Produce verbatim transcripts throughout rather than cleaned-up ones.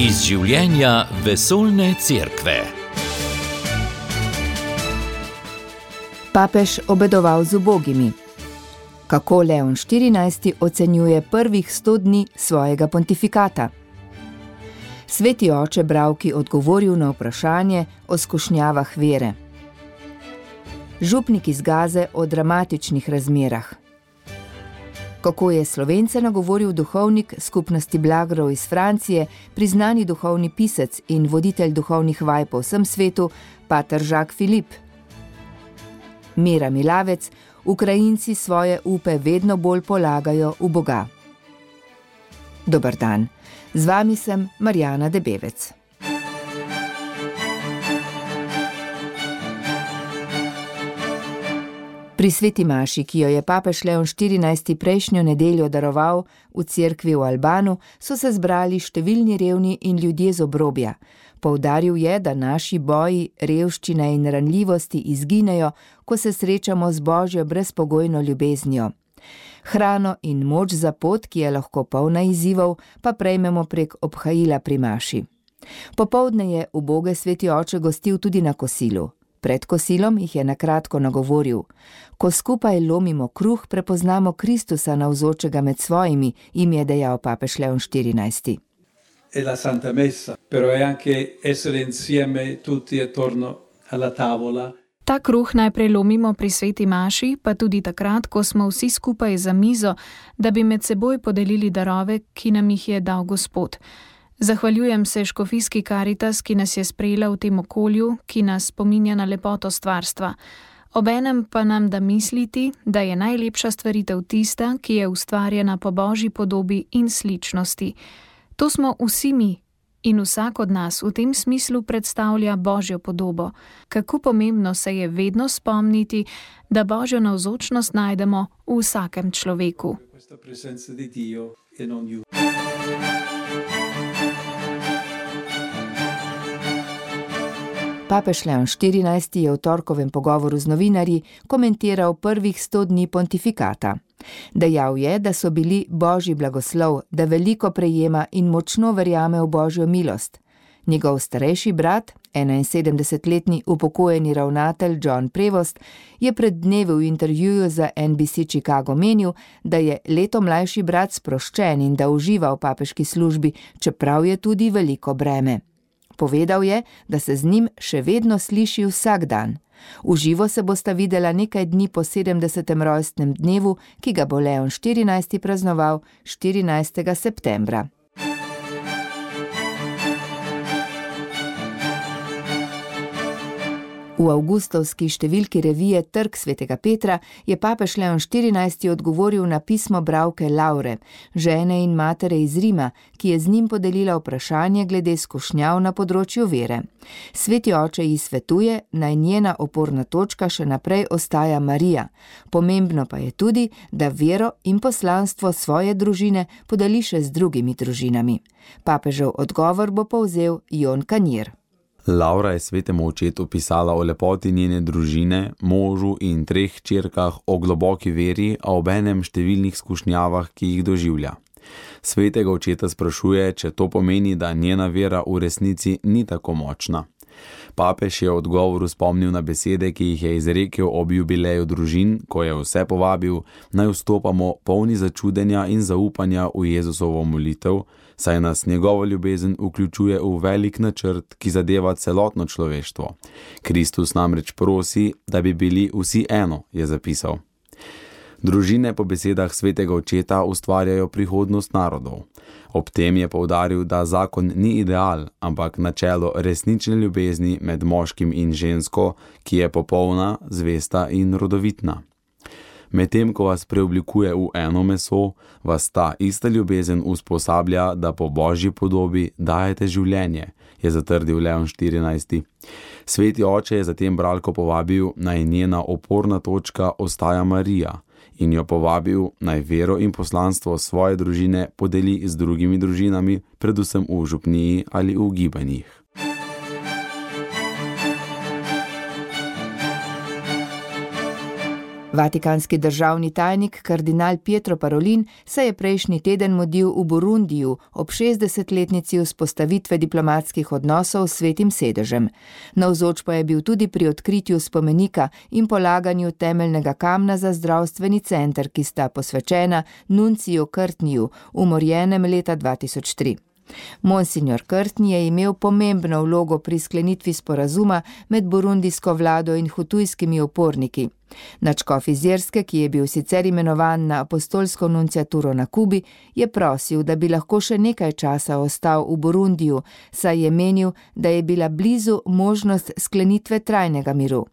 Iz življenja vesoljne cerkve. Papež obedoval z ubogimi. Kako Leon štirinajsti ocenjuje prvih sto dni svojega pontifikata? Sveti oče Bravki odgovoril na vprašanje o skušnjavah vere. Župnik iz Gaze o dramatičnih razmerah. Kako je Slovence nagovoril duhovnik skupnosti Blagrov iz Francije, priznani duhovni pisec in voditelj duhovnih vaj po vsem svetu, pater Jacques Philippe. Mira Milavec, Ukrajinci svoje upe vedno bolj polagajo v Boga. Dober dan, z vami sem Marjana Debevec. Pri sveti maši, ki jo je papež Leon štirinajsti prejšnjo nedeljo daroval v cerkvi v Albanu, so se zbrali številni revni in ljudje z obrobja. Poudaril je, da naši boji, revščina in ranljivosti izginejo, ko se srečamo z Božjo brezpogojno ljubeznijo. Hrano in moč za pot, ki je lahko polna izzivov, pa prejmemo prek obhajila pri maši. Popoldne je uboge sveti oče gostil tudi na kosilu. Pred kosilom jih je nakratko nagovoril. Ko skupaj lomimo kruh, prepoznamo Kristusa navzočega med svojimi, jim je dejal papež Leon štirinajsti. È la Santa Messa, però è anche essere insieme tutti attorno alla tavola. Ta kruh najprej lomimo pri sveti maši, pa tudi takrat, ko smo vsi skupaj za mizo, da bi med seboj podelili darove, ki nam jih je dal Gospod. Zahvaljujem se škofijski Karitas, ki nas je sprejela v tem okolju, ki nas spominja na lepoto stvarstva. Obenem pa nam da misliti, da je najlepša stvaritev tista, ki je ustvarjena po Božji podobi in sličnosti. To smo vsi mi in vsak od nas v tem smislu predstavlja Božjo podobo. Kako pomembno se je vedno spomniti, da Božjo navzočnost najdemo v vsakem človeku. Papež Leon štirinajsti je v torkovem pogovoru z novinarji komentiral prvih sto dni pontifikata. Dejal je, da so bili Božji blagoslov, da veliko prejema in močno verjame v Božjo milost. Njegov starejši brat, enainsedemdesetletni upokojeni ravnatelj John Prevost, je pred dnevi v intervjuju za N B C Chicago menil, da je leto mlajši brat sproščen in da uživa v papeški službi, čeprav je tudi veliko breme. Povedal je, da se z njim še vedno sliši vsak dan. V živo se bosta videla nekaj dni po sedemdesetem rojstnem dnevu, ki ga bo Leon štirinajsti praznoval štirinajstega septembra. V avgustovski številki revije Trg svetega Petra je papež Leon štirinajsti odgovoril na pismo bralke Laure, žene in matere iz Rima, ki je z njim podelila vprašanje glede skušnjav na področju vere. Sveti oče ji svetuje, naj njena oporna točka še naprej ostaja Marija. Pomembno pa je tudi, da vero in poslanstvo svoje družine podeli še z drugimi družinami. Papežev odgovor bo povzel Jon Kanjer. Laura je svetemu očetu pisala o lepoti njene družine, možu in treh hčerkah, o globoki veri, a obenem številnih skušnjavah, ki jih doživlja. Svetega očeta sprašuje, če to pomeni, da njena vera v resnici ni tako močna. Papež je v odgovoru spomnil na besede, ki jih je izrekel ob jubileju družin, ko je vse povabil, naj vstopamo polni začudenja in zaupanja v Jezusovo molitev, saj nas njegova ljubezen vključuje v velik načrt, ki zadeva celotno človeštvo. Kristus namreč prosi, da bi bili vsi eno, je zapisal. Družine po besedah svetega očeta ustvarjajo prihodnost narodov. Ob tem je poudaril, da zakon ni ideal, ampak načelo resnične ljubezni med moškim in žensko, ki je popolna, zvesta in rodovitna. Medtem, ko vas preoblikuje v eno meso, vas ta ista ljubezen usposablja, da po Božji podobi dajete življenje, je zatrdil Leon štirinajsti. Sveti oče je zatem bralko povabil, naj njena oporna točka ostaja Marija, in jo povabil, naj vero in poslanstvo svoje družine podeli z drugimi družinami, predvsem v župniji ali v gibanjih. Vatikanski državni tajnik kardinal Pietro Parolin se je prejšnji teden mudil v Burundiju ob šestdesetletnici vzpostavitve diplomatskih odnosov s Svetim sedežem. Navzoč pa je bil tudi pri odkritju spomenika in polaganju temeljnega kamna za zdravstveni center, ki sta posvečena nunciju Courtneyju, umorjenem leta dva tisoč tri. Monsignor Courtney je imel pomembno vlogo pri sklenitvi sporazuma med burundijsko vlado in hutujskimi uporniki. Nadškof iz Irske, ki je bil sicer imenovan na apostolsko nunciaturo na Kubi, je prosil, da bi lahko še nekaj časa ostal v Burundiju, saj je menil, da je bila blizu možnost sklenitve trajnega miru.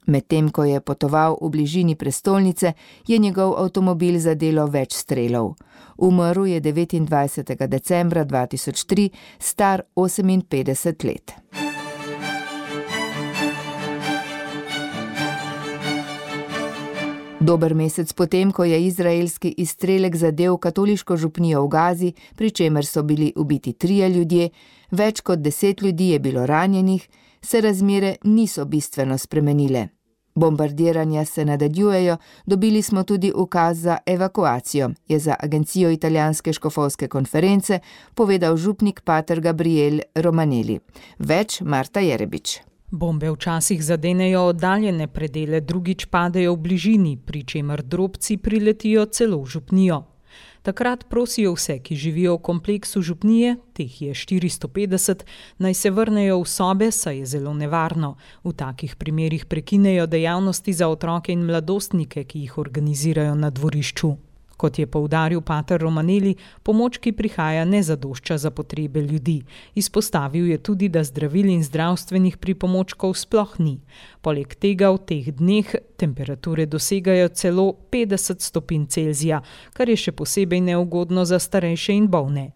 Medtem ko je potoval v bližini prestolnice, je njegov avtomobil zadelo več strelov. Umrl je devetindvajsetega decembra dva tisoč tri, star oseminpetdeset let. Dober mesec potem, ko je izraelski izstrelek zadel katoliško župnijo v Gazi, pri čemer so bili ubiti trije ljudje, več kot deset ljudi je bilo ranjenih, se razmere niso bistveno spremenile. Bombardiranja se nadaljujejo, dobili smo tudi ukaz za evakuacijo, je za agencijo italijanske škofovske konference povedal župnik pater Gabriel Romanelli. Več Marta Jerebič. Bombe včasih zadenejo oddaljene predele, drugič padejo v bližini, pri čemer drobci priletijo celo v župnijo. Takrat prosijo vse, ki živijo v kompleksu župnije, teh je štiristo petdeset, naj se vrnejo v sobe, saj je zelo nevarno. V takih primerih prekinejo dejavnosti za otroke in mladostnike, ki jih organizirajo na dvorišču. Kot je poudaril pater Romanelli, pomoč, ki prihaja, ne zadošča za potrebe ljudi. Izpostavil je tudi, da zdravil in zdravstvenih pripomočkov sploh ni. Poleg tega v teh dneh temperature dosegajo celo petdeset stopinj Celzija, kar je še posebej neugodno za starejše in bolne.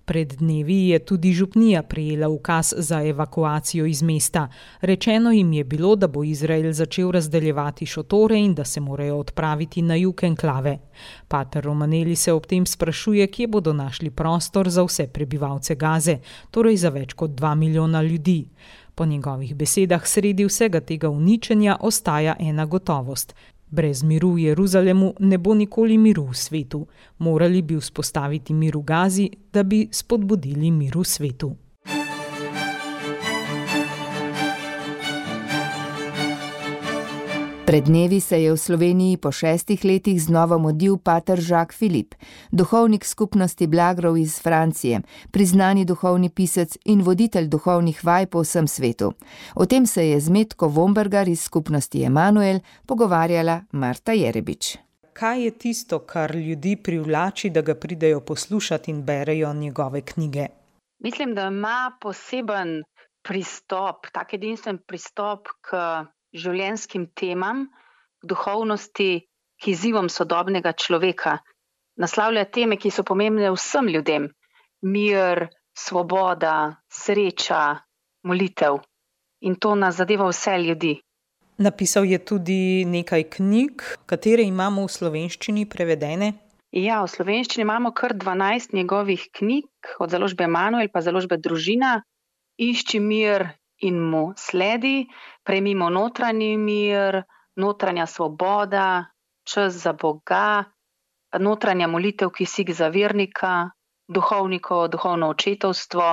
Pred dnevi je tudi župnija prejela ukaz za evakuacijo iz mesta. Rečeno jim je bilo, da bo Izrael začel razdeljevati šotore in da se morajo odpraviti na jug enklave. Pater Romanelli se ob tem sprašuje, kje bodo našli prostor za vse prebivalce Gaze, torej za več kot dva milijona ljudi. Po njegovih besedah sredi vsega tega uničenja ostaja ena gotovost. Brez miru v Jeruzalemu ne bo nikoli miru v svetu. Morali bi vzpostaviti mir v Gazi, da bi spodbudili mir v svetu. Pred dnevi se je v Sloveniji po šestih letih znova mudil pater Jacques Philippe, duhovnik skupnosti Blagrov iz Francije, priznani duhovni pisec in voditelj duhovnih vaj po vsem svetu. O tem se je z Metko Vombergar iz skupnosti Emanuel pogovarjala Marta Jerebič. Kaj je tisto, kar ljudi privlači, da ga pridejo poslušati in berejo njegove knjige? Mislim, da ima poseben pristop, tak edinstven pristop k življenjskim temam, duhovnosti, k izzivom sodobnega človeka. Naslavlja teme, ki so pomembne vsem ljudem. Mir, svoboda, sreča, molitev. In to nas zadeva vse ljudi. Napisal je tudi nekaj knjig, katere imamo v slovenščini prevedene. Ja, v slovenščini imamo kar dvanajst njegovih knjig, od založbe Emanuel pa založbe Družina. Išči mir in mu sledi, prejmimo notranji mir, notranja svoboda, čas za Boga, notranja molitev, kisik za vernika, duhovniko, duhovno očetovstvo,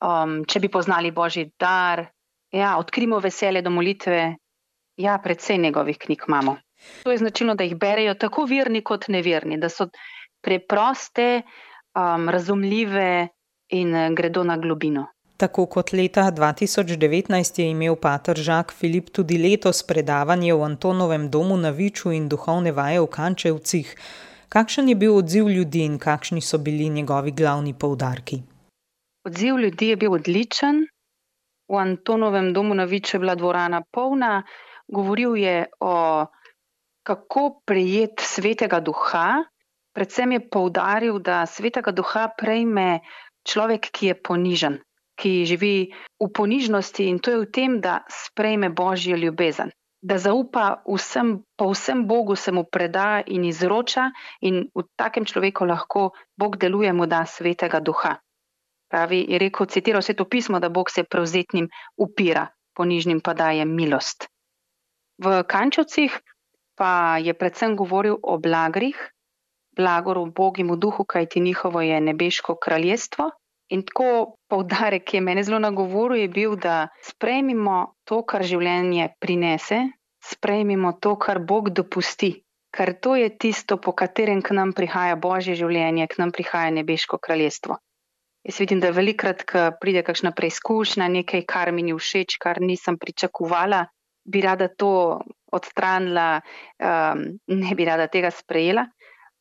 um, če bi poznali Božji dar, ja, odkrimo veselje do molitve, ja, predvsej njegovih knjig imamo. To je značilno, da jih berejo tako verni kot neverni, da so preproste, um, razumljive in gredo na globino. Tako kot leta dva tisoč devetnajst je imel pater Jacques Philippe tudi letos predavanje v Antonovem domu na Viču in duhovne vaje v Kančevcih. Kakšen je bil odziv ljudi in kakšni so bili njegovi glavni poudarki? Odziv ljudi je bil odličen. V Antonovem domu na Viču je bila dvorana polna. Govoril je o kako prejeti svetega duha. Predvsem je poudaril, da svetega duha prejme človek, ki je ponižen, ki živi v ponižnosti, in to je v tem, da sprejme Božjo ljubezen. Da zaupa vsem, po vsem Bogu se mu preda in izroča, in v takem človeku lahko Bog deluje, mu da svetega duha. Pravi, je rekel, citiral Sveto pismo, da Bog se prevzetnim upira, ponižnim pa daje milost. V Kančevcih pa je predvsem govoril o blagrih, blagor ubogim v duhu, kajti njihovo je nebeško kraljestvo. In tako poudarek, ki je mene zelo nagovoril, je bil, da sprejmimo to, kar življenje prinese, sprejmimo to, kar Bog dopusti, ker to je tisto, po katerem k nam prihaja Božje življenje, k nam prihaja nebeško kraljestvo. Jaz vidim, da velikrat, ko pride kakšna preizkušnja, nekaj, kar mi ni všeč, kar nisem pričakovala, bi rada to odstranila, um, ne bi rada tega sprejela.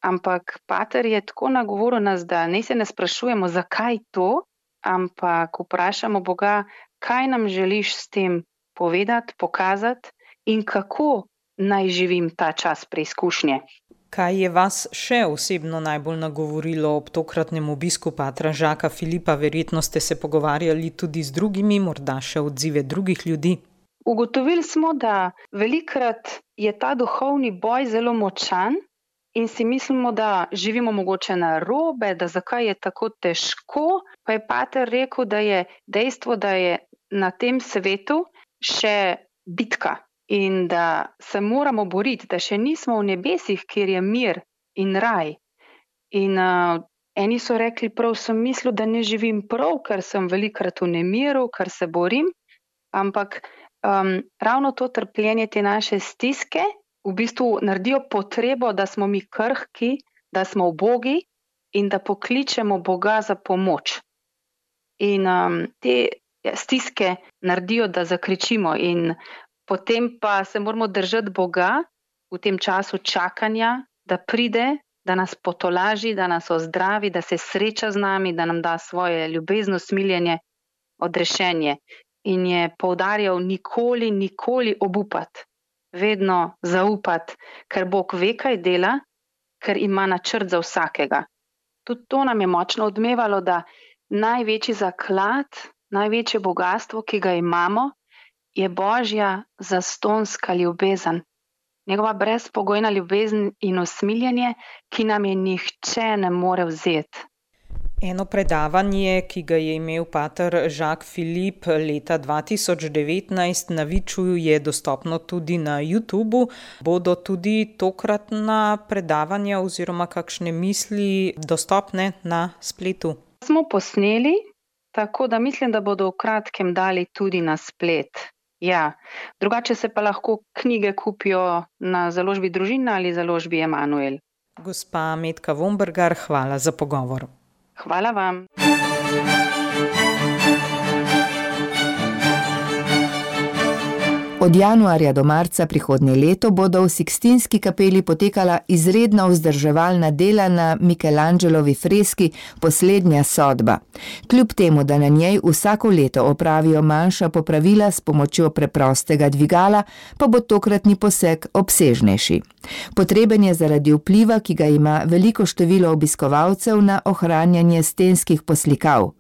Ampak pater je tako nagovoril nas, da ne se ne sprašujemo, zakaj to, ampak vprašamo Boga, kaj nam želiš s tem povedati, pokazati in kako naj živim ta čas preizkušnje. Kaj je vas še osebno najbolj nagovorilo ob tokratnem obisku patra Žaka Filipa? Verjetno ste se pogovarjali tudi z drugimi, morda še odzive drugih ljudi. Ugotovili smo, da velikrat je ta duhovni boj zelo močan, in si mislimo, da živimo mogoče na robe, da zakaj je tako težko, pa je pater rekel, da je dejstvo, da je na tem svetu še bitka in da se moramo boriti, da še nismo v nebesih, kjer je mir in raj. In uh, eni so rekli, prav sem mislil, da ne živim prav, ker sem velikrat v nemiru, ker se borim, ampak um, ravno to trpljenje, te naše stiske, v bistvu naredijo potrebo, da smo mi krhki, da smo ubogi in da pokličemo Boga za pomoč. In um, te stiske naredijo, da zakričimo in potem pa se moramo držati Boga v tem času čakanja, da pride, da nas potolaži, da nas ozdravi, da se sreča z nami, da nam da svoje ljubezno, smiljenje, odrešenje. In je poudarjal nikoli, nikoli obupati. Vedno zaupati, ker Bog ve, kaj dela, ker ima načrt za vsakega. Tudi to nam je močno odmevalo, da največji zaklad, največje bogastvo, ki ga imamo, je Božja zastonska ljubezen. Njegova brezpogojna ljubezen in usmiljenje, ki nam je nihče ne more vzeti. Eno predavanje, ki ga je imel pater Žak Filip leta dva tisoč devetnajst na Viču, je dostopno tudi na YouTubu. Bodo tudi tokratna predavanja oziroma kakšne misli dostopne na spletu? Smo posneli, tako da mislim, da bodo v kratkem dali tudi na splet. Ja, drugače se pa lahko knjige kupijo na založbi Družina ali založbi Emanuel. Gospa Metka Vombergar, hvala za pogovor. Hvala vam. Od januarja do marca prihodnje leto bodo v Sikstinski kapeli potekala izredna vzdrževalna dela na Michelangelovi freski Poslednja sodba. Kljub temu, da na njej vsako leto opravijo manjša popravila s pomočjo preprostega dvigala, pa bo tokratni poseg obsežnejši. Potreben je zaradi vpliva, ki ga ima veliko število obiskovalcev na ohranjanje stenskih poslikav.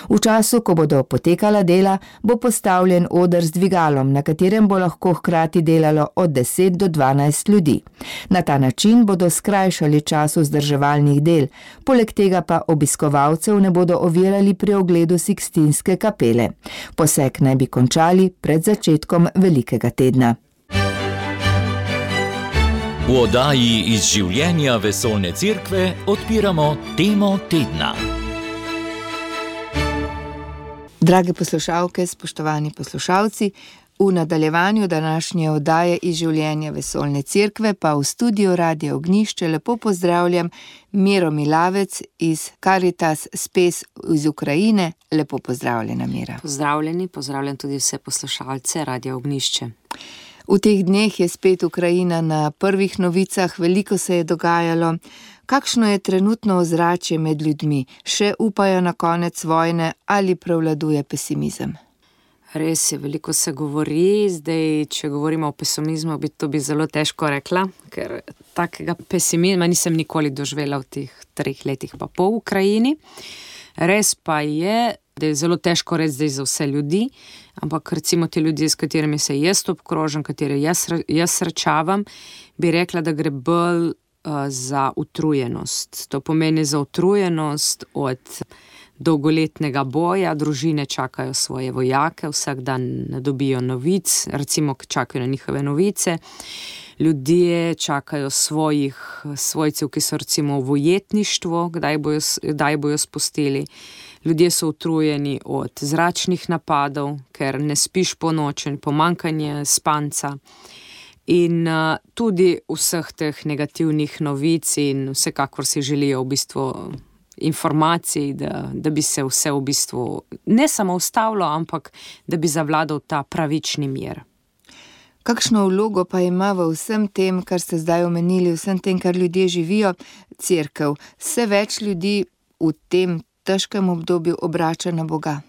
V času, ko bodo potekala dela, bo postavljen oder z dvigalom, na katerem bo lahko hkrati delalo od deset do dvanajst ljudi. Na ta način bodo skrajšali čas vzdrževalnih del, poleg tega pa obiskovalcev ne bodo ovirali pri ogledu Sikstinske kapele. Poseg naj bi končali pred začetkom velikega tedna. V oddaji iz življenja Vesoljne cerkve odpiramo temo tedna. Drage poslušalke, spoštovani poslušalci, v nadaljevanju današnje oddaje iz življenja Vesoljne cerkve pa v studiu Radia Ognjišče lepo pozdravljam Miro Milavec iz Caritas Spes iz Ukrajine. Lepo pozdravljena, Mira. Pozdravljeni, pozdravljam tudi vse poslušalce Radia Ognjišče. V teh dneh je spet Ukrajina na prvih novicah, veliko se je dogajalo. Kakšno je trenutno ozračje med ljudmi? Še upajo na konec vojne ali prevladuje pesimizem? Res je, veliko se govori, zdaj, če govorimo o pesimizmu, bi to bi zelo težko rekla, ker takega pesimizma nisem nikoli doživela v teh treh letih pa po Ukrajini. Res pa je, da je zelo težko reči zdaj za vse ljudi, ampak recimo te ljudje, s katerimi se jaz obkrožam, katere jaz, jaz srečavam, bi rekla, da gre bolj uh, za utrujenost. To pomeni za utrujenost od dolgoletnega boja, družine čakajo svoje vojake, vsak dan ne dobijo novic, recimo čakajo na njihove novice. Ljudje čakajo svojih svojcev, ki so recimo v ujetništvu, kdaj bojo, kdaj bojo spustili. Ljudje so utrujeni od zračnih napadov, ker ne spiš po noči, pomanjkanje spanca. In uh, tudi vseh teh negativnih novic in vsekakor si želijo v bistvu informacij, da, da bi se vse v bistvu ne samo ustavilo, ampak da bi zavladal ta pravični mir. Kakšno vlogo pa ima v vsem tem, kar ste zdaj omenili, vsem tem, kar ljudje živijo, cerkev? Vse več ljudi v tem težkem obdobju obrača na Boga.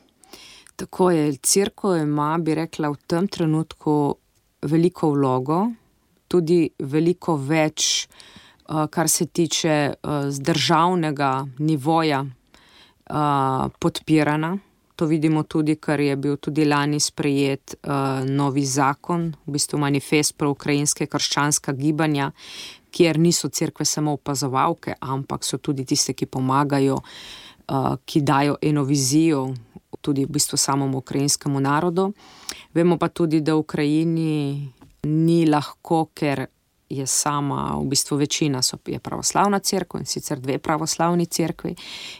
Tako je, cerkev ima, bi rekla, v tem trenutku veliko vlogo, tudi veliko več, kar se tiče z državnega nivoja podpirana. To vidimo tudi, ker je bil tudi lani sprejet novi zakon, v bistvu manifest pro ukrajinske krščanska gibanja, kjer niso cerkve samo opazovalke, ampak so tudi tiste, ki pomagajo, ki dajo eno vizijo tudi v bistvu samому ukrajinskemu narodu. Vemo pa tudi, da v Ukrajini ni lahko, ker je sama, v bistvu večina so, je pravoslavna cerkev in sicer dve pravoslavni cerkvi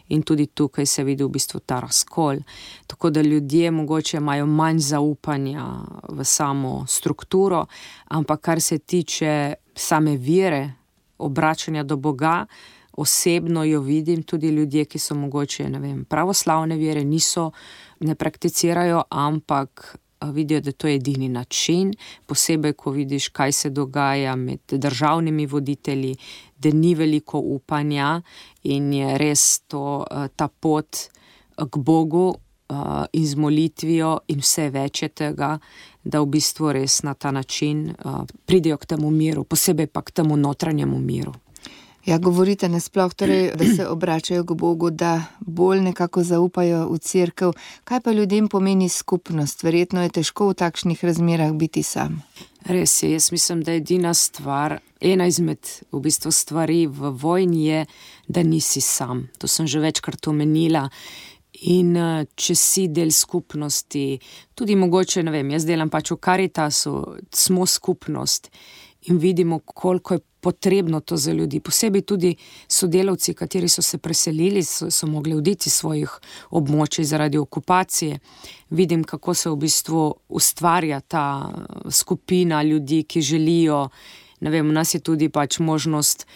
in tudi tukaj se vidi v bistvu ta razkol. Tako da ljudje mogoče imajo manj zaupanja v samo strukturo, ampak kar se tiče same vere, obračanja do Boga, osebno jo vidim, tudi ljudje, ki so mogoče, ne vem, pravoslavne vere, niso, ne prakticirajo, ampak vidijo, da to je edini način, posebej, ko vidiš, kaj se dogaja med državnimi voditelji, da ni veliko upanja in je res to, ta pot k Bogu in z molitvijo in vse več je tega, da v bistvu res na ta način pridejo k temu miru, posebej pa k temu notranjemu miru. Ja, govorite nasploh, torej, da se obračajo k Bogu, da bolj nekako zaupajo v cerkev. Kaj pa ljudem pomeni skupnost? Verjetno je težko v takšnih razmerah biti sam. Res je, jaz mislim, da edina stvar, ena izmed v bistvu stvari v vojni je, da nisi sam. To sem že večkrat omenila. In če si del skupnosti, tudi mogoče, ne vem, jaz delam pač v Karitasu, smo skupnost in vidimo, koliko je potrebno to za ljudi. Posebej tudi sodelavci, kateri so se preselili, so, so mogli oditi svojih območij zaradi okupacije. Vidim, kako se v bistvu ustvarja ta skupina ljudi, ki želijo, ne vem, u nas je tudi pač možnost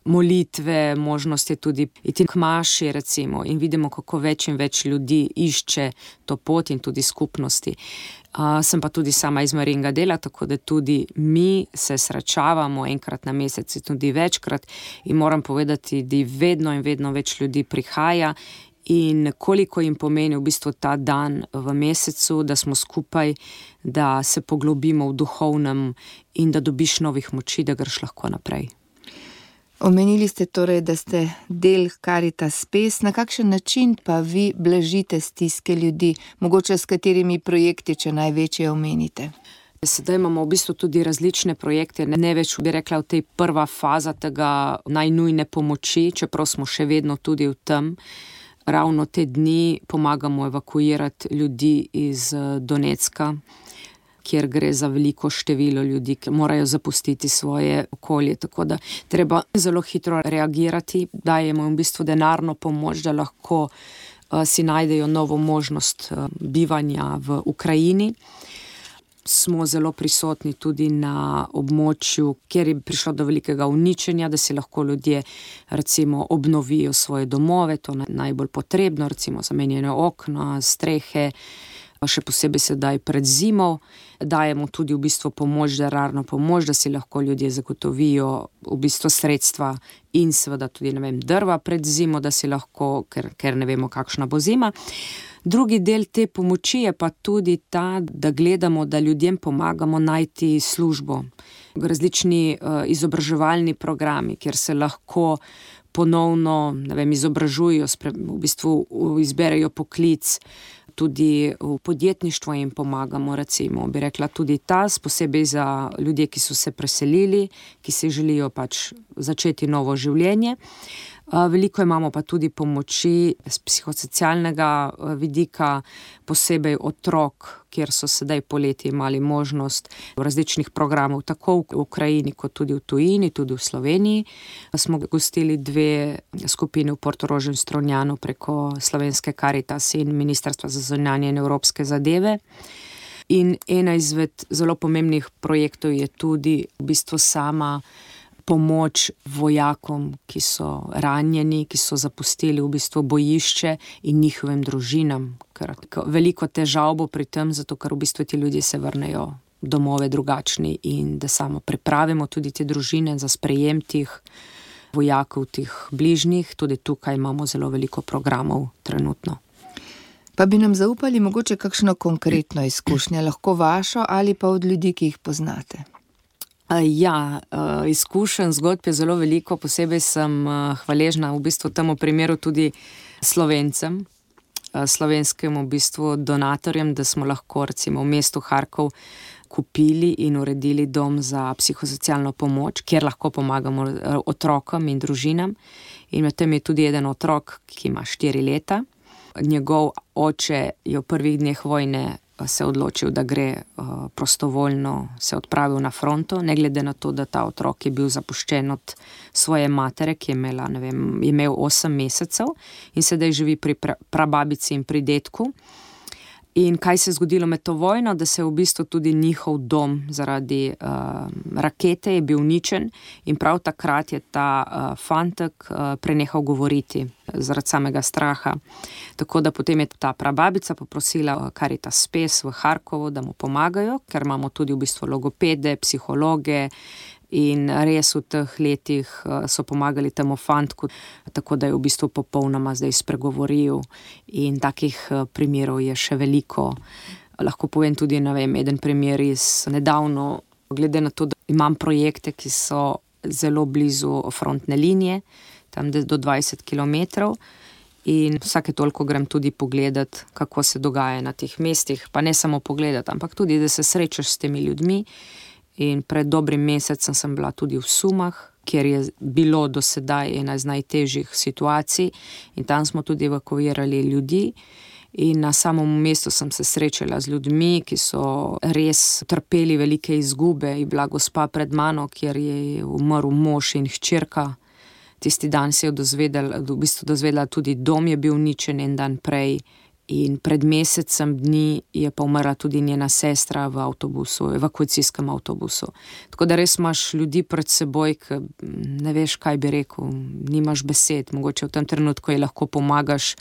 molitve, možnost je tudi iti k maši, recimo, in vidimo, kako več in več ljudi išče to pot in tudi skupnosti. Uh, sem pa tudi sama iz Marijinega dela, tako da tudi mi se srečavamo enkrat na mesec, tudi večkrat, in moram povedati, da vedno in vedno več ljudi prihaja in koliko jim pomeni v bistvu ta dan v mesecu, da smo skupaj, da se poglobimo v duhovnem in da dobiš novih moči, da greš lahko naprej. Omenili ste torej, da ste del Caritas Spes. Na kakšen način pa vi blažite stiske ljudi, mogoče s katerimi projekti, če največje omenite? Sedaj imamo v bistvu tudi različne projekte, ne več bi rekla v tej prva faza tega najnujne pomoči, čeprav smo še vedno tudi v tem. Ravno te dni pomagamo evakuirati ljudi iz Donecka, kjer gre za veliko število ljudi, ki morajo zapustiti svoje okolje. Tako da treba zelo hitro reagirati, dajemo v bistvu denarno pomoč, da lahko uh, si najdejo novo možnost uh, bivanja v Ukrajini. Smo zelo prisotni tudi na območju, kjer je prišlo do velikega uničenja, da si lahko ljudje recimo obnovijo svoje domove, to je najbolj potrebno, recimo zamenjene okna, strehe, še posebej sedaj pred zimo. Dajemo tudi v bistvu pomoč, denarno pomoč, da si lahko ljudje zagotovijo v bistvu sredstva in seveda tudi, ne vem, drva pred zimo, da si lahko, ker, ker ne vemo, kakšna bo zima. Drugi del te pomoči je pa tudi ta, da gledamo, da ljudem pomagamo najti službo. Različni uh, izobraževalni programi, kjer se lahko ponovno, ne vem, izobražujo, v bistvu izberejo poklic, tudi v podjetništvu jim pomagamo, recimo, bi rekla tudi ta, posebej za ljudje, ki so se preselili, ki si želijo pač začeti novo življenje. Veliko imamo pa tudi pomoči z psihosocialnega vidika, posebej otrok, kjer so sedaj poleti imeli možnost različnih programov, tako v Ukrajini kot tudi v tujini, tudi v Sloveniji. Smo gostili dve skupini v Portorožu in Strunjanu preko Slovenske Karitas in Ministrstva za zunanje in evropske zadeve. In ena izmed zelo pomembnih projektov je tudi v bistvu sama pomoč vojakom, ki so ranjeni, ki so zapustili v bistvu bojišče in njihovim družinam. Ker veliko težav bo pri tem, zato ker v bistvu ti ljudje se vrnejo domove drugačni in da samo pripravimo tudi te družine za sprejem tih vojakov, tih bližnjih. Tudi tukaj imamo zelo veliko programov trenutno. Pa bi nam zaupali mogoče kakšno konkretno izkušnjo, lahko vašo ali pa od ljudi, ki jih poznate? Ja, izkušenj, zgodb je zelo veliko, posebej sem hvaležna v bistvu temu primeru tudi Slovencem, slovenskim v bistvu donatorjem, da smo lahko recimo v mestu Harkov kupili in uredili dom za psihosocialno pomoč, kjer lahko pomagamo otrokom in družinam. In med tem je tudi eden otrok, ki ima štiri leta. Njegov oče je v prvih dneh vojne se odločil, da gre uh, prostovoljno, se odpravil na fronto, ne glede na to, da ta otrok je bil zapuščen od svoje matere, ki je imela, ne vem, je imel osem mesecev in sedaj živi pri pra, prababici in pri dedku. In kaj se je zgodilo med to vojno, da se je v bistvu tudi njihov dom zaradi uh, rakete je bil uničen in prav takrat je ta uh, fantek uh, prenehal govoriti zaradi samega straha. Tako da potem je ta prababica poprosila Caritas Spes v Harkovu, da mu pomagajo, ker imamo tudi v bistvu logopede, psihologe in res v teh letih so pomagali temu fantku, tako da je v bistvu popolnoma zdaj spregovoril in takih primerov je še veliko. Lahko povem tudi, ne vem, eden primer iz nedavno, glede na to, da imam projekte, ki so zelo blizu frontne linije, tam do dvajset kilometrov in vsake toliko grem tudi pogledat, kako se dogaja na teh mestih, pa ne samo pogledat, ampak tudi, da se srečaš s temi ljudmi. In pred dobrim mesecem sem bila tudi v Sumah, kjer je bilo do sedaj ena iz najtežjih situacij in tam smo tudi evakuirali ljudi. In na samom mestu sem se srečala z ljudmi, ki so res trpeli velike izgube. Je bila gospa pred mano, kjer je umrl mož in hčerka. Tisti dan se je dozvedela, v bistvu dozvedela tudi dom je bil uničen en dan prej. In pred mesecem dni je pa umrla tudi njena sestra v avtobusu, evakuacijskem avtobusu. Tako da res imaš ljudi pred seboj, ki ne veš, kaj bi rekel, nimaš besed, mogoče v tem trenutku je lahko pomagaš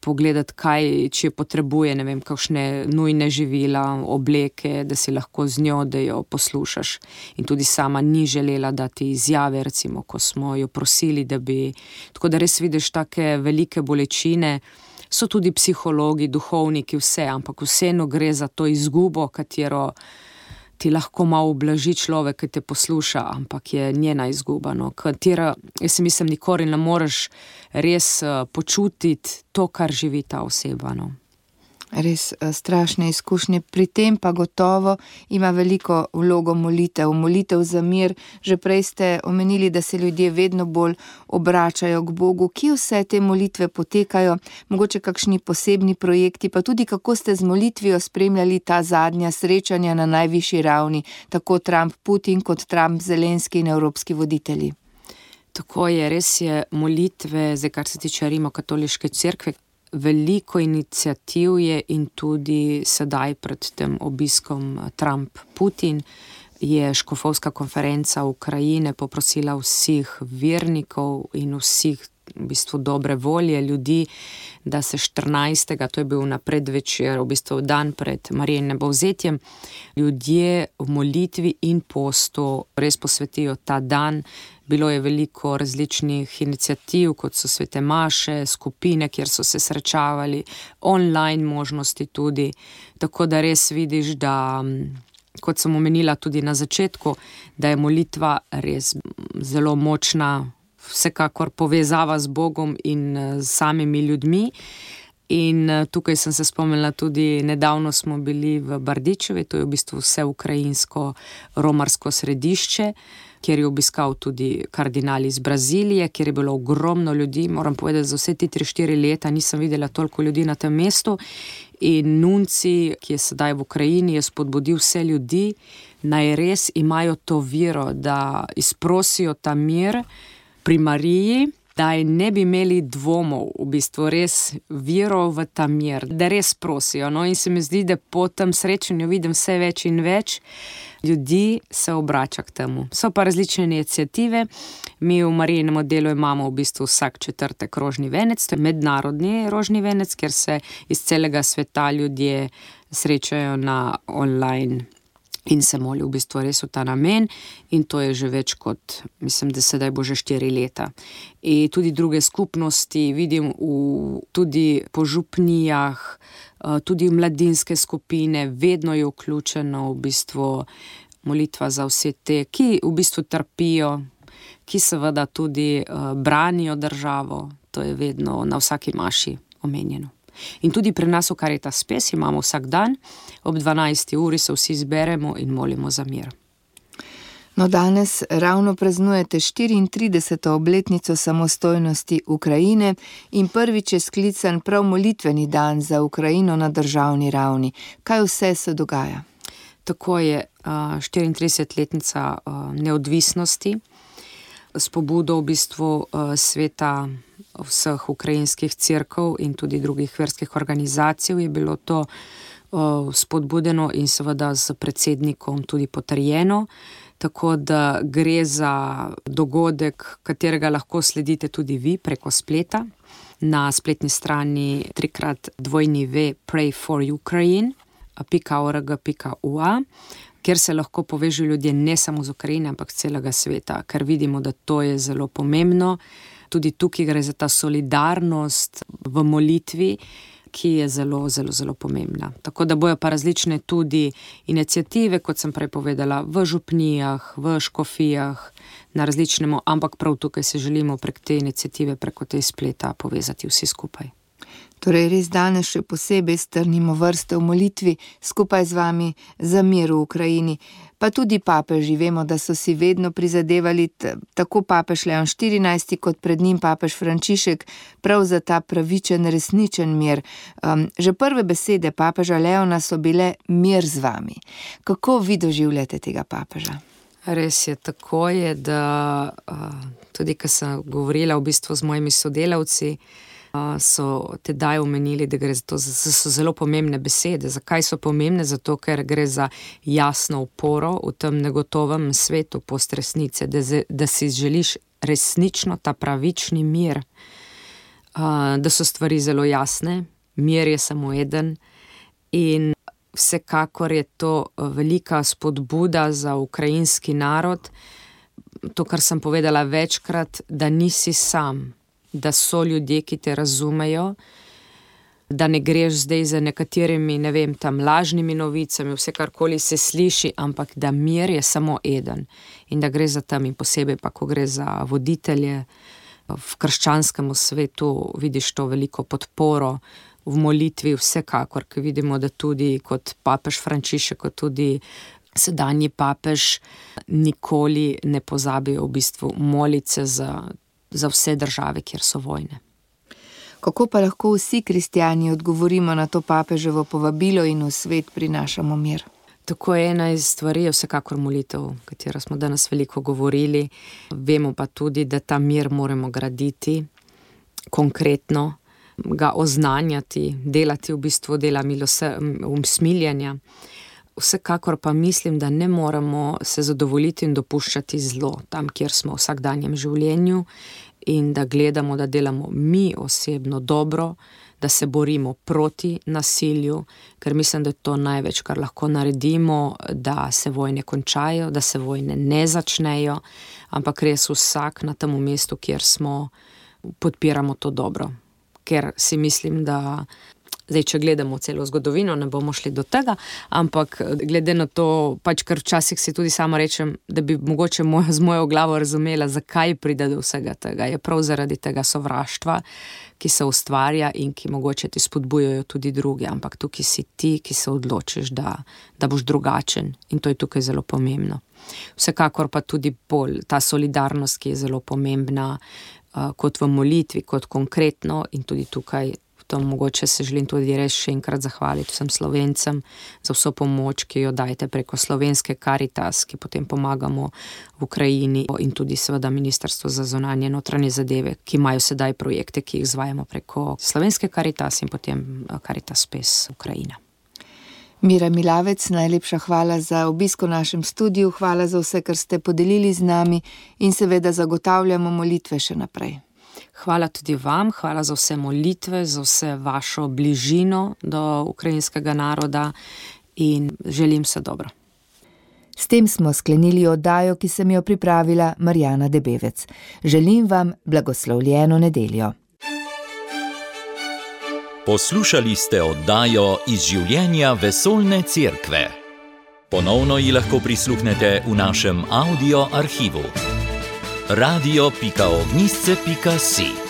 pogledati, kaj, če potrebuje, ne vem, kakšne nujne živila, obleke, da si lahko z njo, da jo poslušaš. In tudi sama ni želela dati izjave, recimo, ko smo jo prosili, da bi, tako da res vidiš take velike bolečine. So tudi psihologi, duhovniki, vse, ampak vseeno gre za to izgubo, katero ti lahko malo ublaži človek, ki te posluša, ampak je njena izguba, no, katera, jaz si mislim, nikoli ne moreš res počutiti to, kar živi ta oseba, no. Res strašne izkušnje, pri tem pa gotovo ima veliko vlogo molitev, molitev za mir. Že prej ste omenili, da se ljudje vedno bolj obračajo k Bogu. Kje vse te molitve potekajo, mogoče kakšni posebni projekti, pa tudi kako ste z molitvijo spremljali ta zadnja srečanja na najvišji ravni, tako Trump-Putin kot Trump-Zelenski in evropski voditelji? Tako je, res je molitve, zdaj kar se tiče Rimokatoliške cerkve, veliko iniciativ je in tudi sedaj pred tem obiskom Trump-Putin je škofovska konferenca Ukrajine poprosila vseh vernikov in vseh v bistvu dobre volje ljudi, da se štirinajstega, to je bil na predvečer, v bistvu dan pred Marijinim povzetjem, ljudje v molitvi in postu res posvetijo ta dan. Bilo je veliko različnih iniciativ, kot so svete maše, skupine, kjer so se srečavali, online možnosti tudi, tako da res vidiš, da, kot sem omenila tudi na začetku, da je molitva res zelo močna, vsekakor povezava z Bogom in z samimi ljudmi. In tukaj sem se spomnila tudi, nedavno smo bili v Bardičevi, to je v bistvu vse ukrajinsko romarsko središče, kjer je obiskal tudi kardinal iz Brazilije, kjer je bilo ogromno ljudi. Moram povedati, za vse ti tri štiri leta nisem videla toliko ljudi na tem mestu. In nunci, ki je sedaj v Ukrajini, je spodbudil vse ljudi, naj res imajo to vero, da izprosijo ta mir pri Mariji, da ne bi imeli dvomov, v bistvu res vero v ta mir, da res prosijo. No, in se mi zdi, da po tem srečanju vidim vse več in več ljudi se obrača k temu. So pa različne iniciative. Mi v Marijinem oddelku imamo v bistvu vsak četrtek rožni venec, to je mednarodni rožni venec, kjer se iz celega sveta ljudje srečajo na online in se molijo v bistvu res v ta namen, in to je že več kot, mislim, da sedaj bo že štiri leta. In tudi druge skupnosti vidim v, tudi po župnijah, tudi v mladinske skupine, vedno je vključeno v bistvu molitva za vse te, ki v bistvu trpijo, ki seveda tudi uh, branijo državo, to je vedno na vsaki maši omenjeno. In tudi pri nas v Caritas Spes imamo vsak dan, ob dvanajsti uri se vsi zberemo in molimo za mir. No, danes ravno praznujete štiriintrideseto obletnico samostojnosti Ukrajine in prvič je sklican prav molitveni dan za Ukrajino na državni ravni. Kaj vse se dogaja? Tako je, štiriintridesetletnica neodvisnosti, s pobudo v bistvu sveta vseh ukrajinskih cerkev in tudi drugih verskih organizacij je bilo to spodbudeno in seveda s predsednikom tudi potrjeno, tako da gre za dogodek, katerega lahko sledite tudi vi preko spleta na spletni strani trikrat dvojni ve pray for ukraine pika org pika ua, kjer se lahko povežejo ljudje ne samo z Ukrajine, ampak celega sveta, ker vidimo, da to je zelo pomembno. Tudi tukaj gre za ta solidarnost v molitvi, ki je zelo, zelo, zelo pomembna. Tako da bojo pa različne tudi iniciative, kot sem prej povedala, v župnijah, v škofijah, na različnemu, ampak prav tukaj se želimo prek te iniciative, preko te spleta povezati vsi skupaj. Torej res danes še posebej strnimo vrste v molitvi skupaj z vami za mir v Ukrajini. Pa tudi papeži, vemo, da so si vedno prizadevali, tako papež Leon štirinajsti kot pred njim papež Frančišek, prav za ta pravičen, resničen mir. Um, že prve besede papeža Leona so bile mir z vami. Kako vi doživljate tega papeža? Res je, tako je, da uh, tudi, ko sem govorila v bistvu z mojimi sodelavci, so tedaj omenili, da gre za to, da so zelo pomembne besede. Zakaj so pomembne? Zato, ker gre za jasno oporo v tem negotovem svetu postresnice, da, da si želiš resnično ta pravični mir, da so stvari zelo jasne, mir je samo eden in vsekakor je to velika spodbuda za ukrajinski narod, to, kar sem povedala večkrat, da nisi sam, da so ljudje, ki te razumejo, da ne greš zdaj za nekaterimi, ne vem, tam lažnimi novicami, vse karkoli se sliši, ampak da mir je samo eden in da gre za tam in posebej pa, ko gre za voditelje v krščanskem svetu, vidiš to veliko podporo v molitvi, vsekakor, ker vidimo, da tudi kot papež Frančišek, kot tudi sedanji papež nikoli ne pozabijo v bistvu moliti za za vse države, kjer so vojne. Kako pa lahko vsi kristjani odgovorimo na to papeževo povabilo in v svet prinašamo mir? Tako je, ena iz stvari je vsekakor molitev, o katero smo danes veliko govorili. Vemo pa tudi, da ta mir moramo graditi konkretno, ga oznanjati, delati v bistvu dela usmiljanja. Vsekakor pa mislim, da ne moramo se zadovoljiti in dopuščati zlo tam, kjer smo v vsakdanjem življenju in da gledamo, da delamo mi osebno dobro, da se borimo proti nasilju, ker mislim, da je to največ, kar lahko naredimo, da se vojne končajo, da se vojne ne začnejo, ampak res vsak na tem mestu, kjer smo, podpiramo to dobro. Ker si mislim, da Zdaj, če gledamo celo zgodovino, ne bomo šli do tega, ampak glede na to, pač kar včasih si tudi sama rečem, da bi mogoče moj, z mojo glavo razumela, zakaj pride do vsega tega. Je prav zaradi tega sovraštva, ki se ustvarja in ki mogoče ti spodbujajo tudi drugi, ampak tukaj si ti, ki se odločiš, da, da boš drugačen in to je tukaj zelo pomembno. Vsekakor pa tudi bolj ta solidarnost, ki je zelo pomembna, uh, kot v molitvi, kot konkretno in tudi tukaj to mogoče se želim tudi res še enkrat zahvaliti vsem Slovencem za vso pomoč, ki jo dajete preko slovenske Karitas, ki potem pomagamo v Ukrajini in tudi seveda Ministrstvo za zunanje notranje zadeve, ki imajo sedaj projekte, ki jih izvajamo preko slovenske Karitas in potem Karitas Pes Ukrajina. Mira Milavec, najlepša hvala za obisk v našem studiu, hvala za vse, kar ste podelili z nami in seveda zagotavljamo molitve še naprej. Hvala tudi vam, hvala za vse molitve, za vse vašo bližino do ukrajinskega naroda in želim se dobro. S tem smo sklenili oddajo, ki sem jo pripravila Marjana Debevec. Želim vam blagoslovljeno nedeljo. Poslušali ste oddajo iz življenja Vesoljne cerkve. Ponovno ji lahko prisluhnete v našem audio arhivu. radio pika ognjišče pika si